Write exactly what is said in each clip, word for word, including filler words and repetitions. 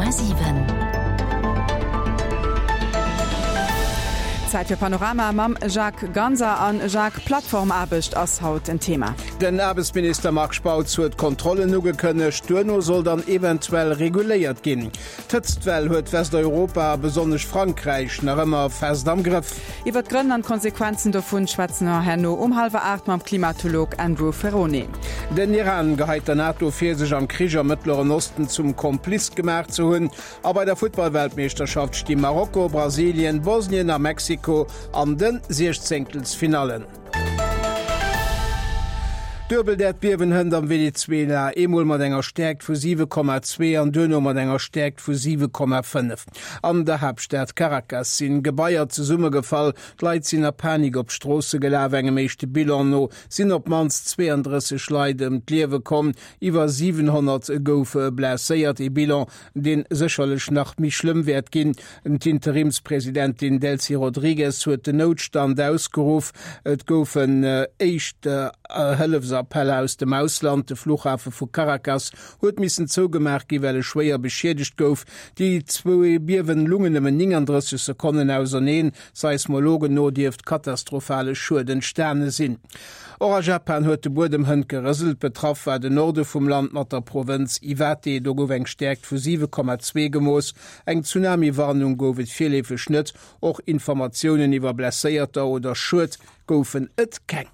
Komma siwen. Zäit fir Panorama mam Jacques Ganser. An Jacques, Plattformaarbecht ass haut en Thema. Den Aarbechtsminister Marc Spautz huet Kontrollen ugekënnegt, duerno soll dann eventuell reguléiert ginn. D'Hëtztwell huet Westeuropa a besonnesch Frankräich nach ëmmer fest am Grëff. Iwwer d'Grënn an d'Konsequenzen dovun schwätze mer herno um hallwer aacht mam Klimatolog Andrew Ferrone. Den Iran geheit der NATO vir, sech am Krich am Mëttleren Osten zum Kompliz gemaach ze hunn. A bei der Futtballweltmeeschterschaft sti Marokko, Brasilien, Bosnien a Mexiko an de Siechzéngtelsfinallen. Duebelt Äerdbiewen hënt am Venezuela, eemol mat enger Stäerkt vu siwe Komma zwee an duerno mat enger Stäerkt vu siwe Komma fënnef. An der Haaptstad Caracas sinn Gebaier zesummegefall, d'Leit sinn a Panik op d'Stroosse gelaf. Engem éischte Bilan no sinn op d'mannst zweeëndrësseg Leit ëm d'Liewe komm, iwwer siwenhonnert goufe blesséiert. Ee Bilan, dee sécherlech nach méi schlëmm wäert ginn. D'Interimspresidentin Delcy Rodrigues huet den Noutstand ausgeruff. Et goufen éischt Hëllefsappeller aus dem Ausland. De Fluchhafe vu Caracas huet missen zougemaach gi well e schwéier beschiedegt gouf. Déi zwou Biewen lungen nëmmen nénganddrësseg Sekonnen auserneen. Seismologen no dierft katastrophale Schued entstane sinn. Och a Japan huet de Buedem hënt gerëselt. Betraff war den Norde vum Land mat der Provënz Iwate. Do gouf eng Stäerkt vu siwe Komma zwee gemooss. Eng Tsunami-Warnung gouf et virleefeg net. Och Informatiounen iwwer Blesséierter oder Schued goufen et keng.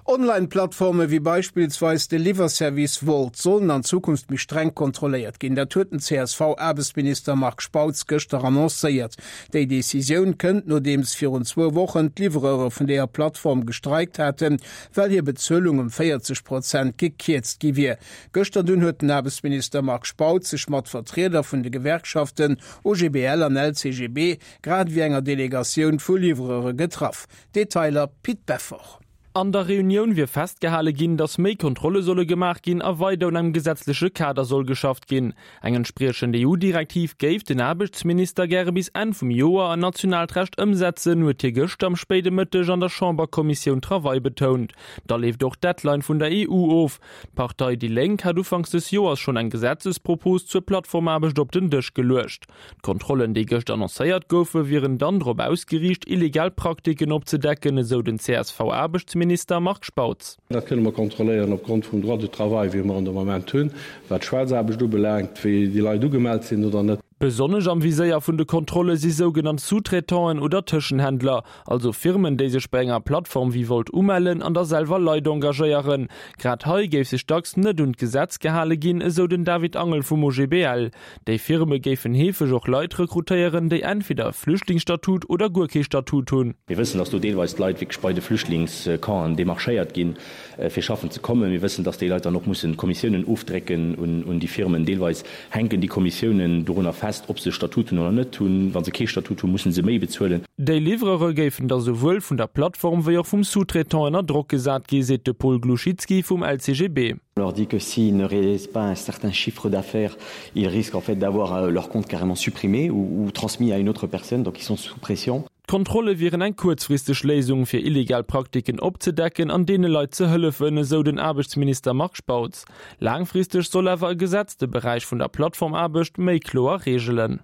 Online-Plattforme wéi beispillsweis de Liwwerservice Wolt sollen an Zukunft méi streng kontrolléiert ginn. Dat huet den C S V-Aarbechtsminister Marc Spautz gëschter annoncéiert. Déi Decisioun kënnt, nodeems virun zwou Wochen d'Livreure vun deeër Plattform gestreikt haten, well hir Bezuelung ëm véierzeg Prozent gekierzt gi wier. Gëschter dunn huet den Aarbechtsminister Marc Spautz sech mat Vertrieder vun de Gewerkschaften O G B L an L C G B grad ewéi enger Delegatioun vu Livreure getraff. Detailer Pit Beffort. An der Reunioun wier festgehale ginn, datt méi Kontrolle solle gemaach ginn a weider un engem gesetzleche Kader soll geschafft ginn. Eng entspriechend E U-Direktiv géif den Aarbechtsminister gäre bis Enn vum Joer an nationaalt Recht ëmsetzen, huet hie gëschter am spéide Mëtteg an der Chamberkommissioun Travail betount. Da leeft och d'Deadline vun der E U of. D'Partei déi Lénk hat ufanks des Joers schonn eng Gesetzespropos zur Plattformaarbecht op den Dësch geluecht. D'Kontrollen, déi gëscht annoncéiert goufen, wieren dann drop ausgeriicht, illegal Praktiken opzedecken, esou den C S V-Aarbechtsminister Marc Spautz. Dat kënne mer kontrolléieren opgrond vum Droit du travail, wéi mer en de Moment hunn, wat d'Schwaarzaarbecht ubelaangt, wéi déi Leit ugemellt sinn oder net. Besonnesch am Viséier vun de Kontrolle si sougenannt Sous-traitanten oder Tëschenhändler, also Firmen, déi sech bei enger Plattform wéi Wolt umellen an da selwer Leit engagéieren. Grad hei géif sech dacks net un d'Gesetz gehale ginn, esou den David Angel vum O G B L. Déi Firme géifen heefeg och Leit rekrutéieren, déi entweder e Flüchtlingsstatut oder guer kee Statut hunn. Mir wëssen, dass do deelweis d'Leit wierklech bei de Flüchtlingscampen demarchéiert ginn, fir schaffen ze kommen. Mir wëssen, dass déi Leit dann och mussen Kommissiounen ofdrécken un déi Firmen. Deelweis hänken déi Kommissiounen dorunner fest, ob se Statut hunn oder net hunn. Wa se kee Statut hunn, musse se méi bezuelen. Déi Livreure géifen da souwuel vun der Plattform wéi och vum Sous-traitant ënner Drock gesat gi, seet de Paul Glouchitski vum L C G B. On leur dit que s'ils ne réalisent pas un certain chiffre d'affaires, ils risquent en fait d'avoir leur compte carrément supprimé ou, ou transmis à une autre personne, donc ils sont sous pression. D'Kontrolle wieren eng kuerzfristeg Léisung fir illegal Praktiken opzedecken an deene Leit ze hëllefen, esou den Aarbechtsminister Marc Spautz. Laangfristeg soll awer e Gesetz de Beräich vun der Plattformaarbecht méi kloer reegelen.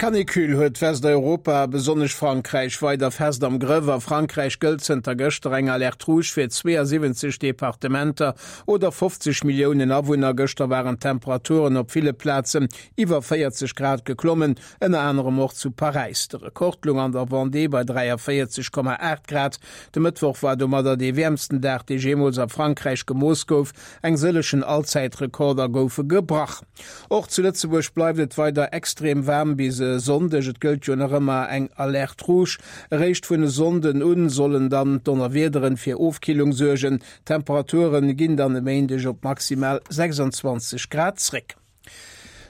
D'Canicule huet Westeuropa, besonnesch Frankräich, weider fest am Grëff. A Frankräich gëllt zënter gëschter eng Alerte rouge fir zweeësiwwenzeg Departementer oder fofzeg Milliounen Awunner. Gëschter waren d'Temperaturen op ville Plazen iwwer véierzeg Grad geklommen, ënner anerem och zu Paräis. De Rekord lung an der Vendée bei dräiavéierzeg Komma aacht Grad. De Mëttwoch war domadder dee wäermsten Dag, dee jeemools a Frankräich gemooss gouf. Eng sëllegen Allzäitrekorder goufe gebrach. Och zu Lëtzebuerg bleift et weider extrem waarm bis e Sonndeg. Et gëllt jo nach ëmmer eng Alerte rouge. Eréischt vun e Sonnden un sollen dann d'Donnerwiederen fir Ofkillung suergen. D'Temperature ginn dann e Méindeg op maximal sechsanzwanzeg Grad zréck.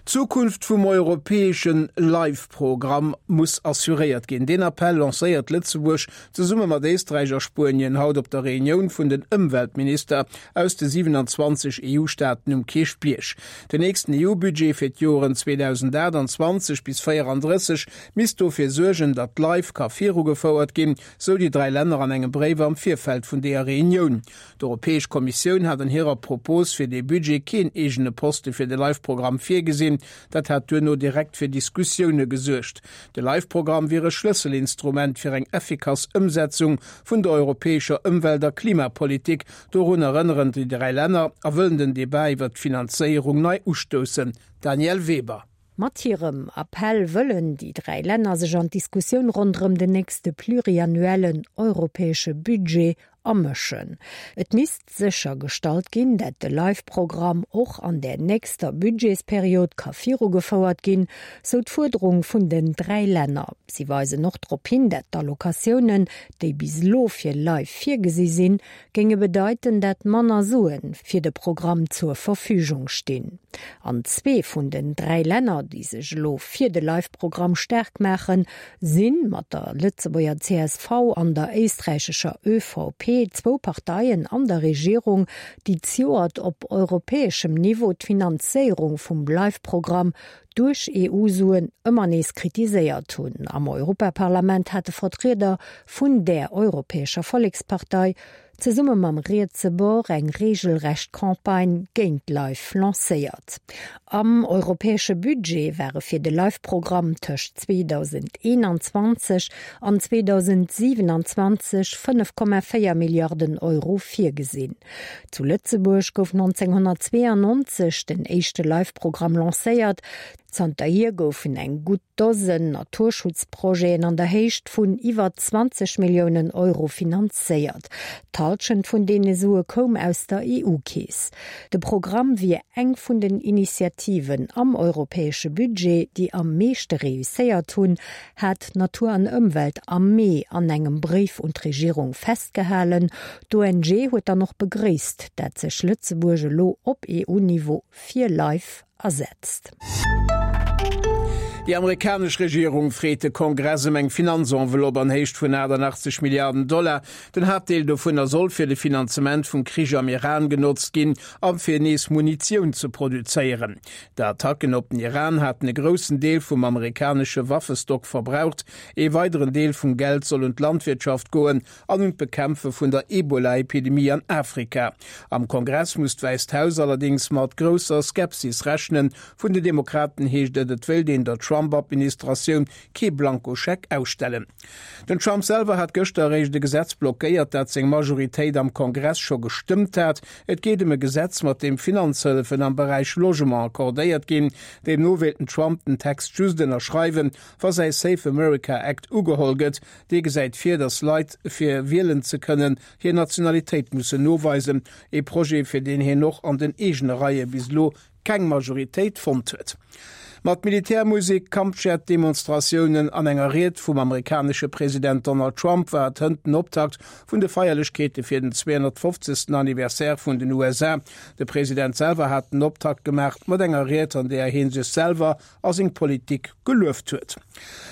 D'Zukunft vum europäesche Life-Programm muss assuréiert ginn. Deen Appell lancéiert Lëtzebuerg zesumme mat Éisträich a Spuenien haut op der Reunioun vun den Ëmweltminister aus de siewenanzwanzeg E U-Staaten um Kierchbierg. Den nächsten E U-Budget fir d'Joren zweedausendaachtanzwanzeg bis véierandrësseg misst dofir suergen, datt Life ka virugefouert ginn, sou déi dräi Länner an engem Bréif am Virfeld vun deeër Reunioun. D'Europäesch Kommissioun hat an hirer Propos fir dee Budget keen eegene Poste fir de Life-Programm virgesinn. Dat hat duerno direkt fir Diskussioune gesuergt. De Life-Programm wier e Schlësselinstrument fir eng effikass Ëmsetzung vun der europäescher Ëmwelt a Klimapolitik, dorun erënneren déi dräi Länner a wëllen den Debat iwwer d'Finanzéierung nei ustoussen. Danièle Weber. Mat hirem Appell wëllen déi dräi Länner sech an d'Diskussioun ronderëm den nächste pluriannuellen europäesche Budget amëschen. Et misst séchergestallt ginn, dat de Life-Programm och an der nächster Budgetsperiod ka virugefouert ginn, sou d'Fuerderung vun den dräi Länner. Si weisen och drop hin, dat d'Allokatiounen, déi bis elo fir Life virgesi sinn, géinge bedeiten, dat manner Suen fir de Programm zur Verfügung stinn. An zwee vun den dräi Länner, déi sech elo fir de Life-Programm staark maachen, sinn mat der Lëtzebuerger C S V an der éisträichescher Ö V P zwou Parteien an der Regierung, déi zejoert op europäeschem Niveau d'Finanzéierung vum Life-Programm duerch E U-Suen ëmmer nees kritiséiert hunn. Am Europaparlament hate Vertrieder vun der Europäescher Vollekspartei zesumme mam rietse Bord eng reegelrecht Campagne géint Life lancéiert. Am europäesche Budget ware fir de Life-Programm tëscht zweedausendeenanzwanzeg an zweedausendsiewenanzwanzeg fënnef Komma véier Milliarden Euro virgesinn. Zu Lëtzebuerg gouf neunzehnhundertzweiundneunzeg den éischte Life-Programm lancéiert. Zanterhier goufen eng gutt Dosen Naturschutzprojeten an der Héicht vun iwwer zwanzeg Milliounen Euro finanzéiert. D'Hallschent vun deene Sue koum aus der E U-Keess. De Programm wier eng vun den Initiativen am europäesche Budget, déi am meeschte reusséiert hunn, hat Natur an Ëmwelt am Mee an engem Bréif un d'Regierung festgehalen. D'O N G huet dann och begréisst, dat sech Lëtzebuerg elo op E U-Niveau fir Life asetzt. Déi amerikanesch Regierung freet de Kongress ëm eng Finanzenveloppe an Héicht vun aachtannachtzeg Milliarden Dollar. Den Haaptdeel dovunner soll fir de Finanzement vum Krich am Iran genotzt ginn a fir nees Munitioun ze produzéieren. D'Attacken op den Iran haten e groussen Deel vum amerikanesche Waffestock verbraucht. E weideren Deel vum Geld soll un d'Landwirtschaft goen an un d'Bekämpfe vun der Ebola-Epidemie an Afrika. Am Kongress muss d'Wäisst Haus allerdéngs mat grousser Skepsis rechnen. Vun den Demokraten heescht et, et wéilt een der Trump-Administratioun kee Blankoscheck ausstellen. Den Trump selwer hat gëschter eréischt e Gesetz blockéiert, dat seng Majoritéit am Kongress scho gestëmmt hat. Et geet ëm e Gesetz, mat deem Finanzhëllefen am Beräich Logement accordéiert ginn. Deemno wéilt den Trump den Text just ënnerschreiwen, wa säi Safe America Act ugeholl gëtt. Dee gesäit vir, datt Leit, fir wielen ze kënnen, hir Nationalitéit mussen noweisen. E Projet, fir deen hien och an den eegene Reie bis elo keng Majoritéit fonnt huet. Mat Militärmusek, Kampfjet-Demonstratiounen an enger Ried vum amerikanesche President Donald Trump war et hënt den Optakt vun de Feierlechkeete fir den zweehonnertfofzegsten Anniversaire vun den U S A. De President selwer hat den Optakt gemaach mat enger Ried, an där hie sech selwer a seng Politik gelueft huet.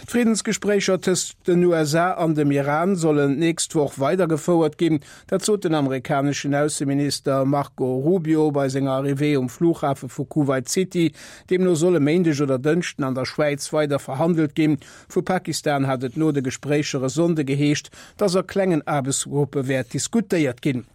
D'Friddensgespréicher tëscht den U S A an dem Iran sollen d'nächst Woch weidergefouert ginn. Dat sot den amerikaneschen Ausseminister Marco Rubio bei senger Arrivée um Flughafe vu Kuwait City. Deemno soll e Méindeg oder Dënschden an der Schwäiz weider verhandelt ginn. Vu Pakistan hat et no de Gespréicher e Sonnde geheescht, datt a klengen Aarbechtsgruppe wäert diskutéiert ginn.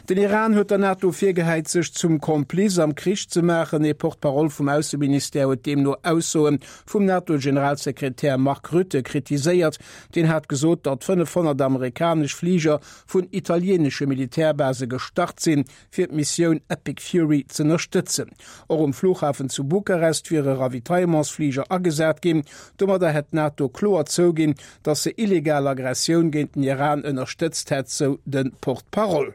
Den Iran huet der NATO virgehäit, sech zum Kompliz am Krich ze maachen. E Porte-parole vum Ausseministère huet deemno Aussoe vum NATO-Generalsekretär Mark Rutte kritiséiert. Deen hat gesot, datt fënnefhonnert amerikanesch Fliger vun italieenesche Militärbase gestart sinn, fir d'Missioun Epic Fury z'ënnerstëtzen. Och um Flughafen zu Bukarest wiere Ravitaillementsfliger agesat ginn. Domadder hätt d'NATO kloer zouginn, datt se illegal Aggressioun géint den Iran ënnerstëtzt hätt, sou de Porte-parole.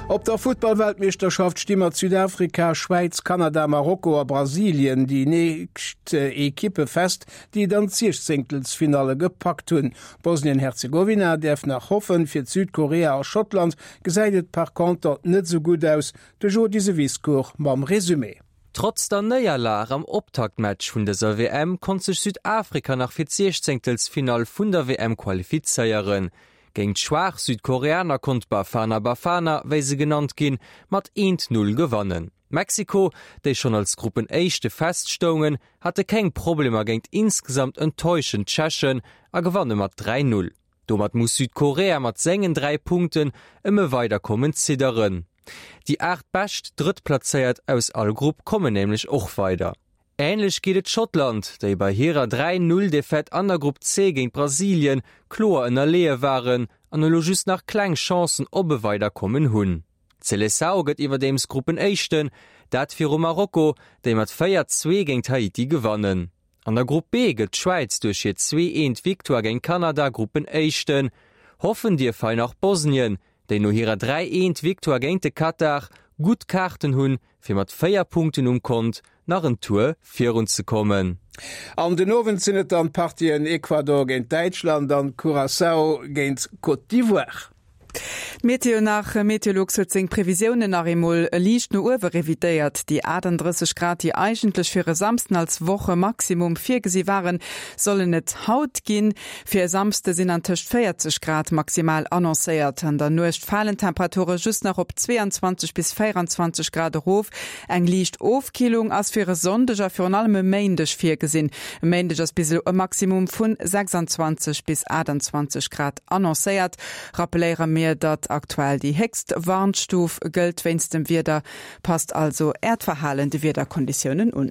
Op der Futtballweltmeeschterschaft sti mat Südafrika, Schwäiz, Kanada, Marokko a Brasilien déi nächst Ekippe fest, déi dann d'Siechzéngtelsfinalle gepackt hunn. Bosnien-Herzegowina däerf nach hoffen, fir Südkorea a Schottland gesäit et par contre net sou gutt aus. De Jody Sewiscourt mam Resumé. Trotz der Néierlag am Optaktmatch vun dëser WM konnt sech Südafrika nach fir d'Siechzéngtelsfinall vun der WM qualifizéieren. Géint schwaach Südkoreaner konnt Bafana Bafana, wéi se genannt ginn, mat eent, Null gewannen. Mexiko, déi schonn als Gruppenéischte feststoungen, hate keng Problemer géint insgesamt enttäuschend Tschechen a gewanne mat dräi, Null. Domat muss Südkorea mat sengen dräi Punkten ëm e Weiderkommen zidderen. Déi aacht bescht Drëttplazéiert aus all Grupp kommen nämlech och weider. Änlech geet et Schottland, déi bei hirer dräi Null Defaite an der Grupp C géint Brasilien kloer ënnerleeë waren an elo just nach kleng Chancen op e Weiderkommen hunn. D'Seleção gëtt iwwerdeems Gruppenéischten, dat viru Marokko, déi mat véier zwee géint Haiti gewannen. An der Grupp B gëtt d'Schwäiz duerch hir zwee eent Victoire géint Kanada Gruppenéischten. Hoffen dierf hei nach Bosnien, déi no hirer dräi eent Victoire géint de Katar gutt Kaarten hunn, fir mat véier Punkten um Kont nach en Tour virunzekommen. An den Owend sinn et dann d'Partien Ecuador géint Däitschland an Curaçao géint Côte d'Ivoire. D'Meteo nach, Meteolux huet seng Previsiounen nach eemol liicht no uewe revidéiert. Déi achtunddrësseg Grad, déi eigentlech fir e Samsden als Wochemaximum virgesi waren, sollen et haut ginn. Fir e Samsde sinn antëscht véierzeg Grad maximal annoncéiert. An der Nuecht falen d'Temperature just nach op zwee an zwanzeg bis véieranzwanzeg Grad erof. Eng liicht Ofkillung ass fir e Sonndeg a virun allem e Méindeg virgesinn. E Méindeg ass bis elo e Maximum vun sechsanzwanzeg bis achtundzwanzeg Grad annoncéiert. Rappelléiere mir, datt aktuell déi héchst Warnstuf gëllt wéinst dem Wieder. Passt also Äert Verhalen de Wiederkonditiounen un.